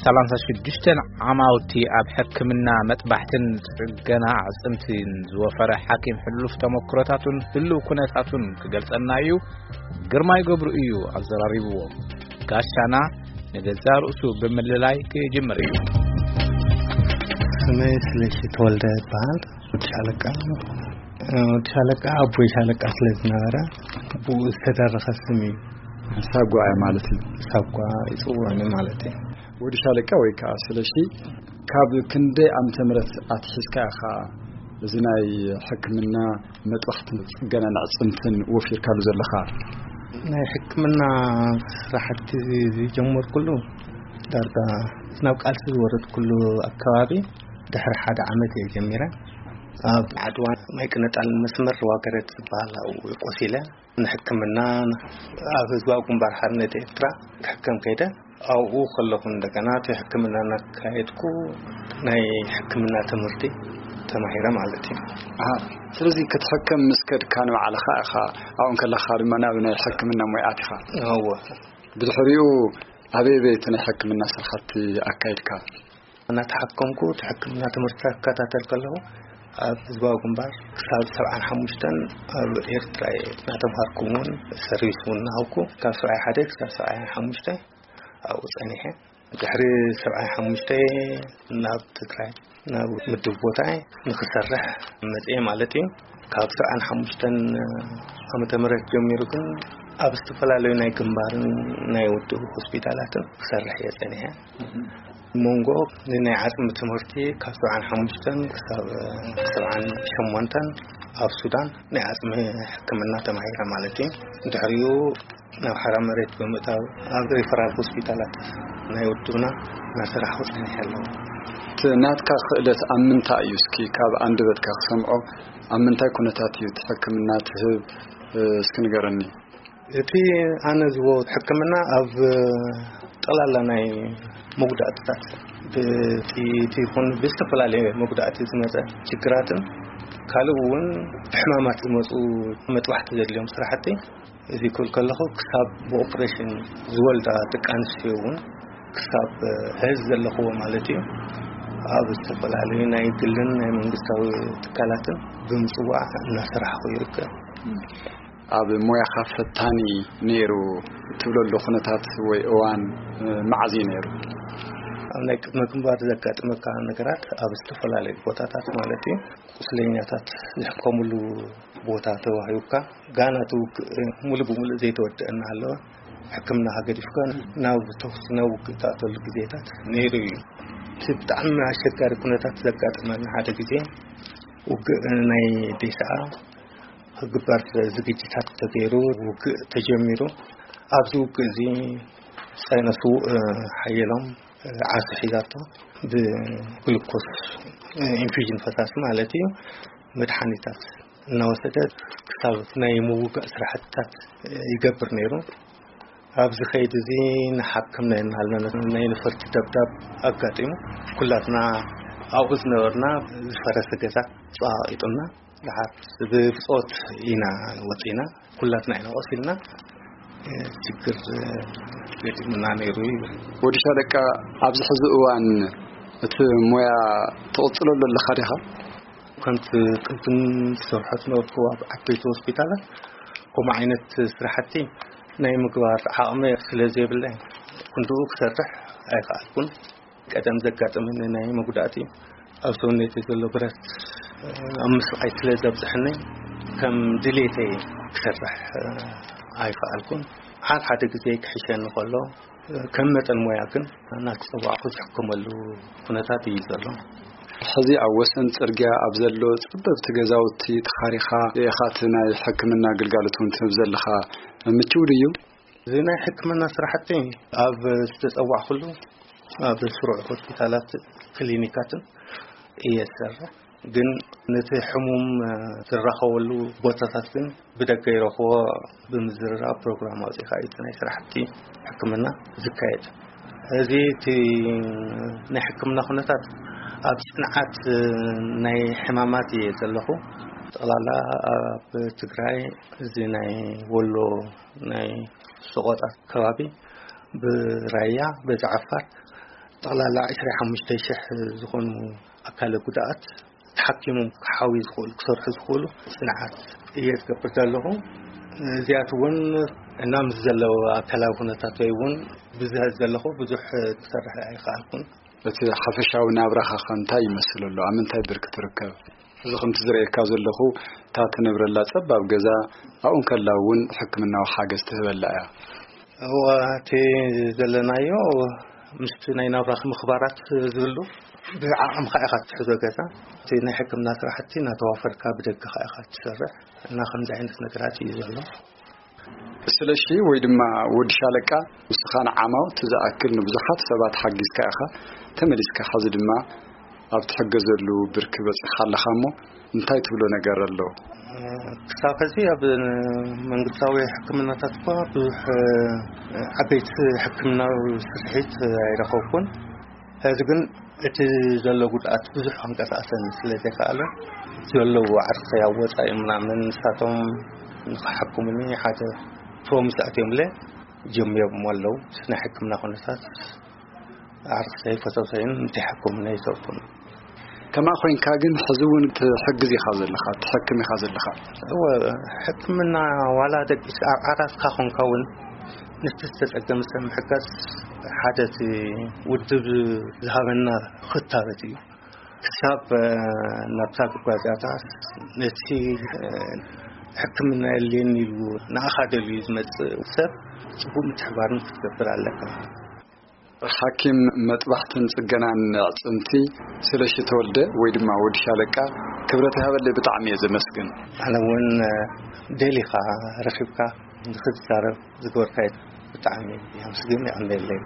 ሰላሳ ሽዱሽተ ዓማውቲ ኣብ ሕክምና መጥባሕትን ጽገና ኣዕጽምትን ዝወፈረ ሓኪም ሕሉፍ ተመክሮታቱን ህሉው ኩነታቱን ክገልጸልና እዩ። ግርማይ ገብሩ እዩ ኣዘራሪብዎ። ጋሻና ንገዛ ርእሱ ብምልላይ ክጅምር እዩ። ስመይ ስለሺ ተወልደ ይበሃል። ወዲ ሻለቃ፣ ወዲ ሻለቃ ኣቦይ ሻለቃ ስለ ዝነበረ ብኡ ዝተደረኸ ስም እዩ። ሳጓ ማለት እዩ። ሳጓ ይጽውዑኒ ማለት እዩ። ወዲ ሻለቃ ወይ ከዓ ስለሺ፣ ካብ ክንደይ ዓመተ ምህረት ኣትሒዝካ ኢኻ እዚ ናይ ሕክምና መጥባሕትን ጽገናን ኣዕጽምትን ወፊርካሉ ዘለኻ? ናይ ሕክምና ስራሕቲ ዝጀመርኩሉ ዳርጋ ናብ ቃልሲ ዝወረድኩሉ ኣከባቢ ድሕሪ ሓደ ዓመት እየ ጀሚረ። ኣብ ዓድዋ ማይ ቅነጣል መስመር ዋገረት ዝበሃል ኣብኡ ቆሲለ ንሕክምና ኣብ ህዝባዊ ግንባር ሓርነት ኤርትራ ክሕከም ከይደ። ኣብኡ ከለኹ እንደገና እቲ ሕክምና እናካየድኩ ናይ ሕክምና ትምህርቲ ተማሂረ ማለት እዩ። ኣሃ፣ ስለዚ ክትሕከም ምስ ከድካ ንባዕልኻ ኢኻ ኣብኡ ከለኻ ድማ ናብ ናይ ሕክምና ሞያ ኣቲኻ? እወ። ብድሕሪኡ ኣበይ ኣበይ እቲ ናይ ሕክምና ስራሕቲ ኣካይድካ? እናተሓከምኩ እቲ ሕክምና ትምህርቲ ክከታተል ከለኹ ኣብ ህዝባዊ ግንባር ክሳብ ሰብዓን ሓሙሽተን ኣብ ኤርትራ እየ እናተምሃርኩ እውን ሰርቪስ እውን እናሃብኩ ካብ ሰብዓይ ሓደ ክሳብ ሰብዓይ ሓሙሽተ ኣብኡ ጸኒሐ። ድሕሪ ሰብዓይ ሓሙሽተ ናብ ትግራይ ናብ ምድብ ቦታየ ንክሰርሕ መፅኤ ማለት እዩ። ካብ ሰብዓን ሓሙሽተን ዓመተ ምህረት ጀሚሩ ግን ኣብ ዝተፈላለዩ ናይ ግንባርን ናይ ውድብ ሆስፒታላትን ክሰርሕ እየ ፀኒሐ። መንጎ ንናይ ዓፅሚ ትምህርቲ ካብ ሰብዓን ሓሙሽተን ክሳብ ሰብዓን ሸሞንተን ኣብ ሱዳን ናይ ዓፅሚ ሕክምና ተማሂረ ማለት እዩ። ድሕሪኡ ናብ ሓራ መሬት ብምእታው ኣብ ሪፈራል ሆስፒታላት ናይ ውድብና እናሰራሕኩ ፀኒሐ ኣለኹ። እቲ ናትካ ክእለት ኣብ ምንታይ እዩ? እስኪ ካብ ኣንደበትካ ክሰምዖ፣ ኣብ ምንታይ ኩነታት እዩ እቲ ሕክምና ትህብ? እስኪ ንገረኒ። እቲ ኣነ ዝቦ ሕክምና ኣብ ጠቕላላ ናይ መጉዳእትታት ብጥይት ይኹን ብዝተፈላለየ መጉዳእቲ ዝመፀ ችግራትን ካልእ እውን ብሕማማት ዝመፁ መጥባሕቲ ዘድልዮም ስራሕቲ እዚ ክብል ከለኹ ክሳብ ብኦፕሬሽን ዝወልዳ ደቂ ኣንስትዮ እውን ክሳብ ሕዚ ዘለኽዎ ማለት እዩ ኣብ ዝተፈላለዩ ናይ ግልን ናይ መንግስታዊ ትካላትን ብምፅዋዕ እናሰራሕኹ ይርከብ። ኣብ ሞያኻ ፈታኒ ነይሩ ትብለሉ ኩነታት ወይ እዋን መዓዝ እዩ ነይሩ? ኣብ ናይ ቅድመ ግንባር ዘጋጥመካ ነገራት ኣብ ዝተፈላለዩ ቦታታት ማለት እዩ ቁስለኛታት ዝሕከሙሉ ቦታ ተዋሂቡካ ጋና እቲ ውግእ ሙሉ ብሙሉ ዘይተወደአ እናሃለወ ሕክምናኻ ገዲፍካ ናብ ተኹሲ ናብ ውግእ ትኣተሉ ግዜታት ነይሩ እዩ። እቲ ብጣዕሚ ኣሸጋሪ ኩነታት ዘጋጠመኒ ሓደ ግዜ ውግእ ናይ ዴስዓ ክግበር ዝግጅታት ተገይሩ ውግእ ተጀሚሩ ኣብዚ ውግእ እዚ ሳይነስውእ ሓየሎም ዓርሱ ሒዛቶ ብግሉኮስ ኢንፊዥን ፈሳሲ ማለት እዩ መድሓኒታት እናወሰደ ክሳብ ናይ ምውጋእ ስራሕትታት ይገብር ነይሩ። ኣብዚ ከይዲ እዚ ንሓክም ናይ እናሃለና ናይ ነፈርቲ ደብዳብ ኣጋጢሙ ኩላትና ኣብኡ ዝነበርና ዝፈረሰ ገዛ ጸዋቒጡና ደሓር ብብጾት ኢና ወጺና ኩላትና ኢና ቆሲልና ችግር ገጢሙና ነይሩ ይብል። ወዲ ሻለቃ ኣብዚ ሕዚ እዋን እቲ ሞያ ትቕጽለሉ ኣለኻ ዲኻ? ከምቲ ቅድም ዝሰርሖ ዝነበርኩ ኣብ ዓበይቲ ሆስፒታላት ከምኡ ዓይነት ስራሕቲ ናይ ምግባር ዓቕሚ ስለ ዘይብለይ ክንድኡ ክሰርሕ ኣይከኣልኩን። ቀደም ዘጋጠመኒ ናይ መጉዳእቲ ኣብ ሰውነተይ ዘሎ ብረት ኣብ ምስቓይ ስለ ዘብዝሐኒ ከም ድሌተይ ክሰርሕ ኣይከኣልኩን። ሓደ ሓደ ግዜ ክሕሸኒ ከሎ ከም መጠን ሞያ ግን እናተፀዋዕኩ ዝሕከመሉ ኩነታት እዩ ዘሎ። ሕዚ ኣብ ወሰን ጽርግያ ኣብ ዘሎ ጸበብቲ ገዛውቲ ተኻሪኻ ኢኻ እቲ ናይ ሕክምና ግልጋሎት እውን ትህብ ዘለኻ። ምችው ድዩ? እዚ ናይ ሕክምና ስራሕቲ ኣብ ዝተጸዋዕኩሉ ኣብ ስሩዕ ሆስፒታላት ክሊኒካትን እየ ዝሰርሕ። ግን ነቲ ሕሙም ዝራኸበሉ ቦታታት ግን ብደገ ይረኽቦ ብምዝርራብ ፕሮግራም ኣውፂእካ እዩ እቲ ናይ ስራሕቲ ሕክምና ዝካየድ። እዚ እቲ ናይ ሕክምና ኩነታት ኣብ ፅንዓት ናይ ሕማማት እየ ዘለኹ። ጠቕላላ ኣብ ትግራይ እዚ ናይ ወሎ ናይ ሰቆጣ ከባቢ ብራያ በዚ ዓፋር ጠቕላላ ዕስራ ሓሙሽተ ሽሕ ዝኾኑ ኣካለ ጉድኣት ተሓኪሞም ክሓዊ ዝኽእሉ፣ ክሰርሑ ዝኽእሉ ጽንዓት እየ ዝገብር ዘለኹ። እዚኣት እውን እና ምስ ዘለዎ ኣካላዊ ኩነታት ወይ እውን ብዝህ ዘለኹ ብዙሕ ክሰርሕ ኣይከኣልኩን። እቲ ሓፈሻዊ ናብራኻ ከ እንታይ ይመስል ኣሎ? ኣብ ምንታይ ብርኪ ትርከብ? እዚ ከምቲ ዝርእየካ ዘለኹ፣ እታ ትነብረላ ጸባብ ገዛ ኣብኡ እንከላ እውን ሕክምናዊ ሓገዝ ትህበላ እያ። እዋ፣ እቲ ዘለናዮ ምስቲ ናይ ናብራኽ ምኽባራት ዝብሉ ብዓቕምኻ ኢኻ ትሕዞ ገዛ። እቲ ናይ ሕክምና ስራሕቲ እናተዋፈርካ ብደገኻ ኢኻ ትሰርሕ እና ከምዚ ዓይነት ነገራት እዩ ዘሎ። ስለሺ ወይ ድማ ወዲ ሻለቃ፣ ንስኻ ንዓማውቲ ዝኣክል ንብዙሓት ሰባት ሓጊዝካ ኢኻ፣ ተመሊስካ ሐዚ ድማ ኣብ ትሕገዘሉ ብርኪ በጺሕካ ኣለኻ እሞ፣ እንታይ ትብሎ ነገር ኣሎ? ክሳብ ሕዚ ኣብ መንግስታዊ ሕክምናታት እኳ ብዙሕ ዓበይቲ ሕክምናዊ ስርሒት ኣይረኸብኩን። ሕዚ ግን እቲ ዘሎ ጉድኣት ብዙሕ ክንቀሳቀሰኒ ስለ ዘይከኣለ፣ ዘለዉ ዓርሰይ ኣብ ወጻኢ ምናምን ንሳቶም ንኽሓክሙኒ ሓደ ፕሮሚስ ኣትዮምለ ጀሚሮም ኣለዉ። ናይ ሕክምና ኩነታት ዓርሰይ ፈተውተይን እንተይሓክሙኒ ኣይተውኩን። ከማ ኮይንካ ግን ሕዚ እውን ትሕግዝ ኢኻ ዘለኻ፣ ትሕክም ኢኻ ዘለኻ። እወ፣ ሕክምና ዋላ ደቂስ ኣብ ዓራስካ ኮንካ እውን፣ ነቲ ዝተጸገመ ሰብ ምሕጋዝ ሓደ እቲ ውድብ ዝሃበና ክታበት እዩ። ክሳብ፣ እ፣ ናብታ ጉዳይ እዚኣታ ነቲ፣ እ፣ ሕክምና የድልየኒ ኢሉ ንኣኻ ደልዩ ዝመጽእ ሰብ ጽቡቅ ምትሕባርን ክትገብር ኣለካ። ሓኪም መጥባሕትን ጽገናን ኣዕጽምቲ ስለሺ ተወልደ ወይ ድማ ወዲ ሻለቃ ክብረት ይሃበለይ፣ ብጣዕሚ እየ ዘመስግን። ኣነ እውን፣ እ፣ ደሊኻ ረኺብካ ንኽትዛረብ ዝገበርካዮ ብጣዕሚ የመስግን፣ የቐንየለይ።